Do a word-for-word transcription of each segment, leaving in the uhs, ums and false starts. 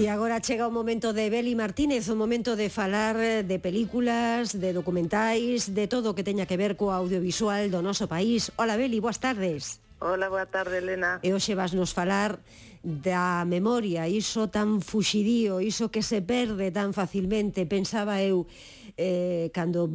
E agora chega o momento de Beli Martínez, o momento de falar de películas, de documentais, de todo o que teña que ver co audiovisual do noso país. Hola Beli, boas tardes. Hola, boa tarde, Elena. E hoxe vas nos falar da memoria, iso tan fuxidío, iso que se perde tan facilmente. Pensaba eu eh, cando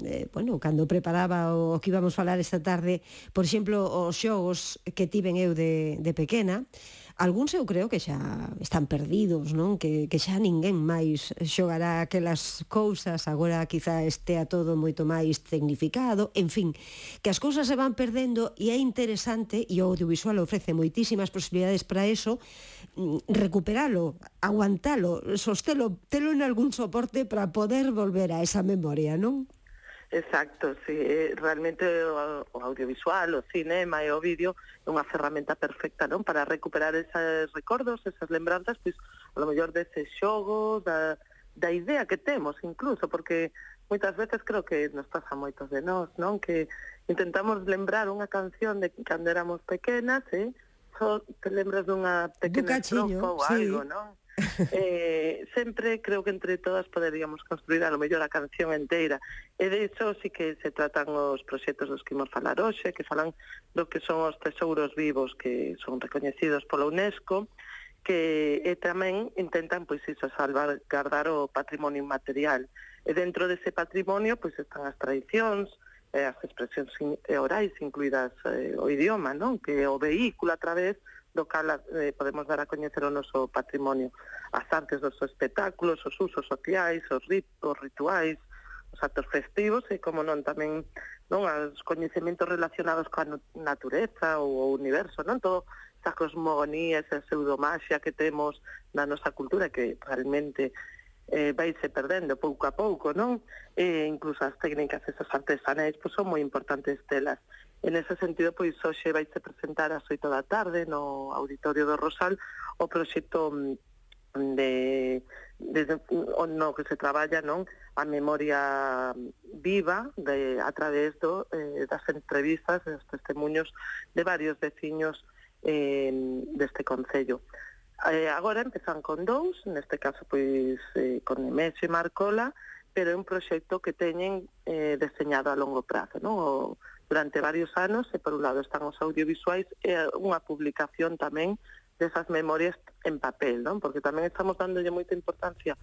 eh, bueno, cando preparaba o que íbamos falar esta tarde, por exemplo, os xogos que tiven eu de, de pequena. Algúns eu creo que xa están perdidos, non? Que, que xa ninguén máis xogará aquelas cousas, agora quizá estea todo moito máis tecnificado, en fin, que as cousas se van perdendo e é interesante, e o audiovisual ofrece moitísimas posibilidades para eso, recuperalo, aguantalo, sostelo, telo en algún soporte para poder volver a esa memoria, non? Exacto, sí, realmente o, o audiovisual, o cinema e o vídeo é unha ferramenta perfecta, non? Para recuperar esos recordos, esas lembranzas, pois, a lo mellor dese xogo, da, da idea que temos incluso, porque moitas veces creo que nos pasa moitos de nós, non? Que intentamos lembrar unha canción de cando éramos pequenas, eh? Só te lembras dunha pequena estrofa ou sí. algo, non? eh, sempre creo que entre todas poderíamos construir a lo mellor a canción inteira, e de iso sí que se tratan os proxectos dos que imos falar hoxe, que falan do que son os tesouros vivos que son recoñecidos pola UNESCO, que e tamén intentan pois iso, salvar, guardar o patrimonio inmaterial, e dentro dese patrimonio pois están as tradicións, eh, as expresións orais, incluídas eh, o idioma, non? Que é o vehículo a través do cal eh, podemos dar a coñecer o noso patrimonio, as artes dos espectáculos, os usos sociais, os ritos, rituais, os actos festivos e, como non, tamén non os coñecementos relacionados coa natureza ou o universo, non? Todo esa cosmogonía, esa pseudomaxia que temos na nosa cultura que realmente eh, vaise perdendo pouco a pouco, non? E incluso as técnicas, esas artesanais, pois son moi importantes telas. En ese sentido, pois, hoxe vaise presentar ás oito da tarde no Auditorio do Rosal o proxecto de, de, de no que se traballa, non, a memoria viva de, a través do, eh, das entrevistas, dos testemunhos de varios veciños eh, deste concello. Eh, agora empezan con dous, neste caso pois eh, con Nemesio e Marcola, pero é un proxecto que teñen eh, deseñado a longo prazo, non? O, durante varios anos, e por un lado están os audiovisuais e unha publicación tamén desas memorias en papel, non? Porque tamén estamos dándolle moita importancia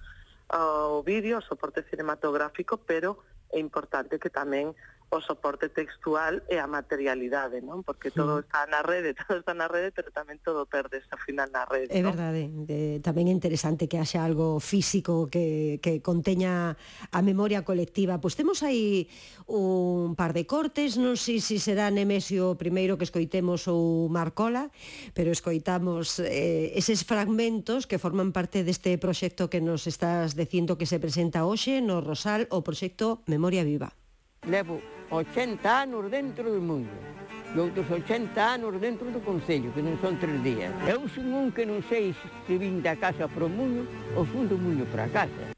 ao vídeo, ao soporte cinematográfico, pero é importante que tamén o soporte textual e a materialidade, non? Porque todo sí. está na rede, todo está na rede, pero tamén todo perde ao final na rede, é non? verdade, de, tamén é interesante que haxa algo físico que, que conteña a memoria colectiva. Pois temos aí un par de cortes, non sei se será Nemesio o primeiro que escoitemos ou Marcola, pero escoitamos eh, eses fragmentos que forman parte deste proxecto que nos estás dicindo que se presenta hoxe no Rosal, o proxecto Memoria Viva. Levo ochenta anos dentro do mundo e outros ochenta anos dentro do Concello, que non son tres días. Eu son un que non sei se vim da casa para o mundo ou fun do mundo para a casa.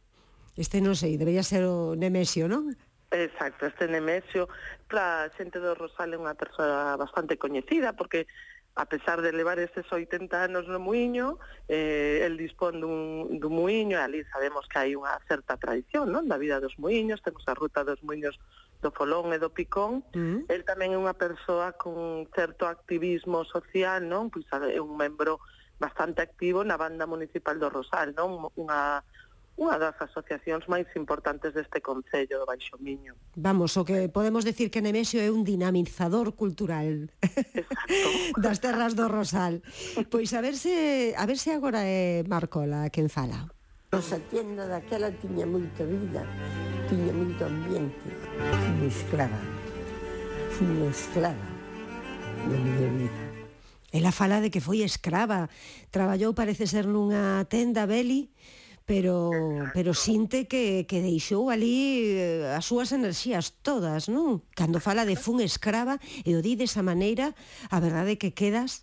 Este non sei, debería ser o Nemesio, non? Exacto, este Nemesio, para a xente do Rosal é unha persoa bastante coñecida, porque a pesar de levar eses oitenta anos no muiño, eh, el dispón dun, dun muiño, e ali sabemos que hai unha certa tradición, non? Da vida dos muiños, temos a ruta dos muiños do Folón e do Picón. Mm. El tamén é unha persoa con certo activismo social, non? Pois é un membro bastante activo na banda municipal do Rosal, non? Unha unha das asociacións máis importantes deste concello do Baixo Miño. Vamos, o que podemos decir que Nemesio é un dinamizador cultural. Exacto. Das terras do Rosal. Pois a ver se a ver se agora é Marcola quen fala. Nosa tienda daquela tiña moita vida, tiña moito ambiente. Fui esclava. Fui esclava da miña vida. Ela fala de que foi escrava. Traballou, parece ser, nunha tenda, Beli, pero pero sinte que, que deixou ali as súas enerxías todas, non? Cando fala de fun escrava e o di desa maneira, a verdade é que quedas...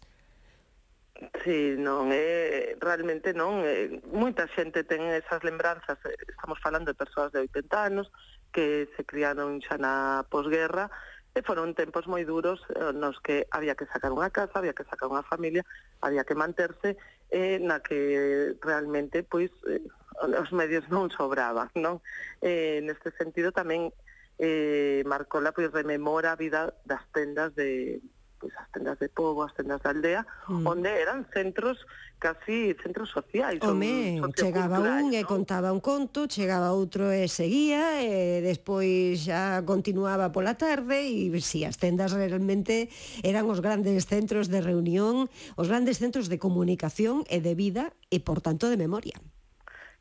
Sí, non, é, realmente non, é, moita xente ten esas lembranzas, estamos falando de persoas de oitenta anos que se criaron xa na posguerra, e foron tempos moi duros nos que había que sacar unha casa, había que sacar unha familia, había que manterse, eh, na que realmente pois eh, os medios non sobraban, non? Eh, neste sentido tamén eh, Marcola pois rememora a vida das tendas de pois as tendas de pobo, as tendas da aldea, mm. onde eran centros, casi centros sociais. Home, chegaba un e contaba un conto, chegaba outro e seguía, e despois xa continuaba pola tarde, e si, as tendas realmente eran os grandes centros de reunión, os grandes centros de comunicación e de vida, e por tanto de memoria.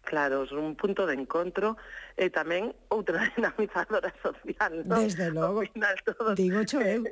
Claro, un punto de encontro e tamén outra dinamizadora social, non? Desde logo, final, todos, digo cho eu.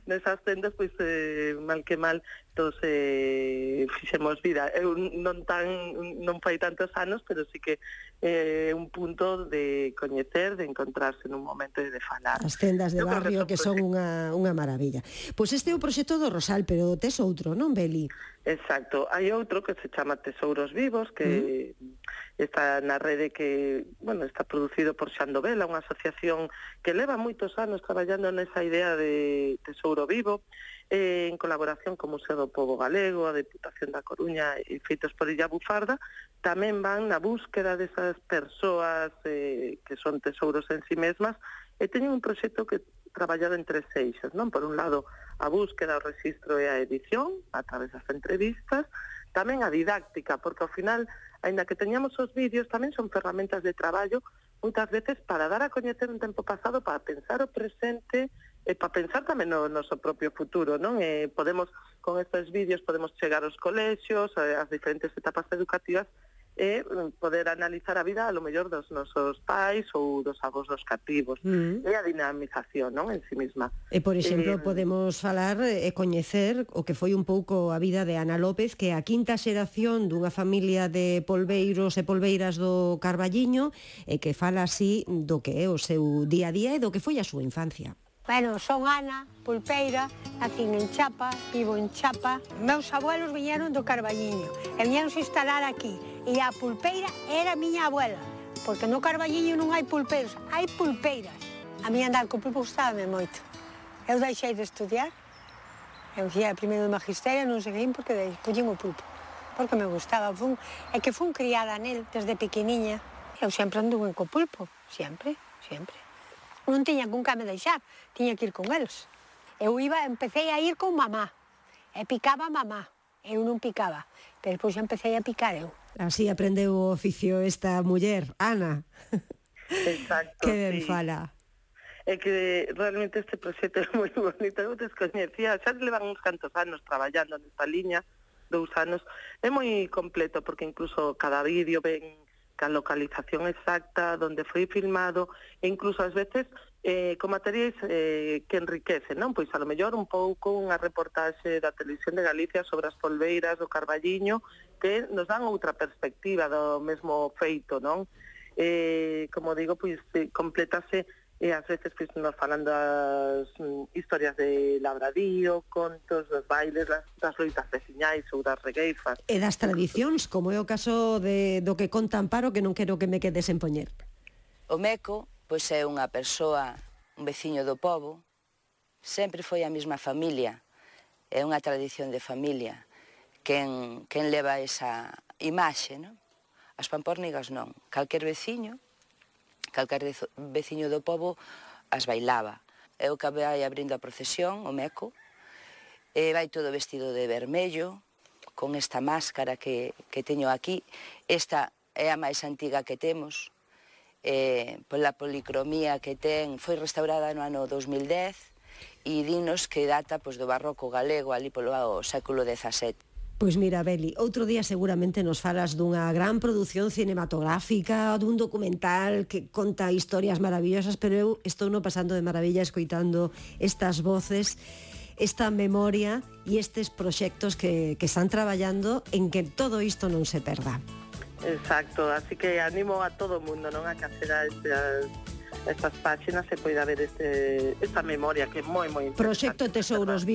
Nesas tendas, pois, eh, mal que mal, todos eh, fixemos vida. Eu non tan non fai tantos anos, pero sí que é eh, un punto de coñecer, de encontrarse nun momento e de falar. As tendas de barrio que son unha, unha maravilla. Pois este é o proxecto do Rosal, pero tes outro, non, Beli? Exacto. Hai outro que se chama Tesouros Vivos, que mm. está na rede que, bueno, está producido por Xandovela, unha asociación que leva moitos anos traballando nesa idea de Tesouro Vivo, eh, en colaboración co Museo do Pobo Galego, a Deputación da Coruña e feitos por Illa Bufarda, tamén van na búsqueda desas persoas eh, que son tesouros en si mesmas, e teñen un proxecto que traballado en tres eixos, non? Por un lado, a búsqueda, o registro e a edición, a través das entrevistas, tamén a didáctica, porque ao final, aínda que teñamos os vídeos, tamén son ferramentas de traballo, moitas veces para dar a coñecer un tempo pasado, para pensar o presente, e para pensar tamén no noso propio futuro, non? E podemos, con estes vídeos, podemos chegar aos colexios, ás diferentes etapas educativas, e poder analizar a vida, a lo mellor, dos nosos pais ou dos avós dos cativos. Mm. E a dinamización, non? En si misma. E, por exemplo, eh, podemos falar e coñecer o que foi un pouco a vida de Ana López, que é a quinta xeración dunha familia de polbeiros e polbeiras do Carballiño, e que fala así do que é o seu día a día e do que foi a súa infancia. Bueno, son Ana, pulpeira, nacín en Chapa, vivo en Chapa. Meus abuelos viñeron do Carballiño e viñeron se instalar aquí. E a pulpeira era a miña abuela, porque no Carballiño non hai pulpeiros, hai pulpeiras. A mí andar co pulpo gustábame moito. Eu deixei de estudiar, eu fui primeiro de magisterio, non seguín porque collín o pulpo, porque me gustaba. Fun, é que fun criada nel desde pequeniña. Eu sempre anduve co pulpo, sempre, sempre. Non tiña con que me deixar, tiña que ir con eles. Eu iba, empecé a ir con mamá, e picaba mamá, eu non picaba, pero depois empecé a picar eu. Así aprendeu o oficio esta muller, Ana. Exacto, que ben sí. fala. É que realmente este proxecto é moi bonito, eu descoñecía, xa levan uns cantos anos traballando nesta liña, dous anos, é moi completo, porque incluso cada vídeo ven ca localización exacta, onde foi filmado, e incluso ás veces eh, con materiais eh, que enriquecen, non? Pois a lo mellor un pouco unha reportaxe da Televisión de Galicia sobre as polbeiras do Carballiño, que nos dan outra perspectiva do mesmo feito, non? Eh, como digo, pois completase e ás veces pois, nos falan das mm, historias de labradío, contos, dos bailes, das, das loitas veciñais ou das regueifas. E das tradicións, como é o caso de, do que conta Amparo, que non quero que me quedes en poñer. O Meco, pois é unha persoa, un veciño do pobo, sempre foi a mesma familia, é unha tradición de familia, quen, quen leva esa imaxe, non? As pampórnigas non, calquer veciño, calquer veciño do pobo as bailaba. É o que vai abrindo a procesión, o Meco, e vai todo vestido de vermello, con esta máscara que, que teño aquí. Esta é a máis antiga que temos, eh, pola policromía que ten, foi restaurada no ano dos mil dez, e dinos que data pois, do barroco galego, ali polo século dezasete. Pois mira, Beli, outro día seguramente nos falas dunha gran produción cinematográfica, dun documental que conta historias maravillosas, pero eu estou no pasando de maravilla escoitando estas voces, esta memoria e estes proxectos que, que están traballando en que todo isto non se perda. Exacto, así que animo a todo o mundo, non, a que acceda a estas, estas páxinas e poida ver este, esta memoria que é moi, moi interesante. Proxecto Tesouros Vivos.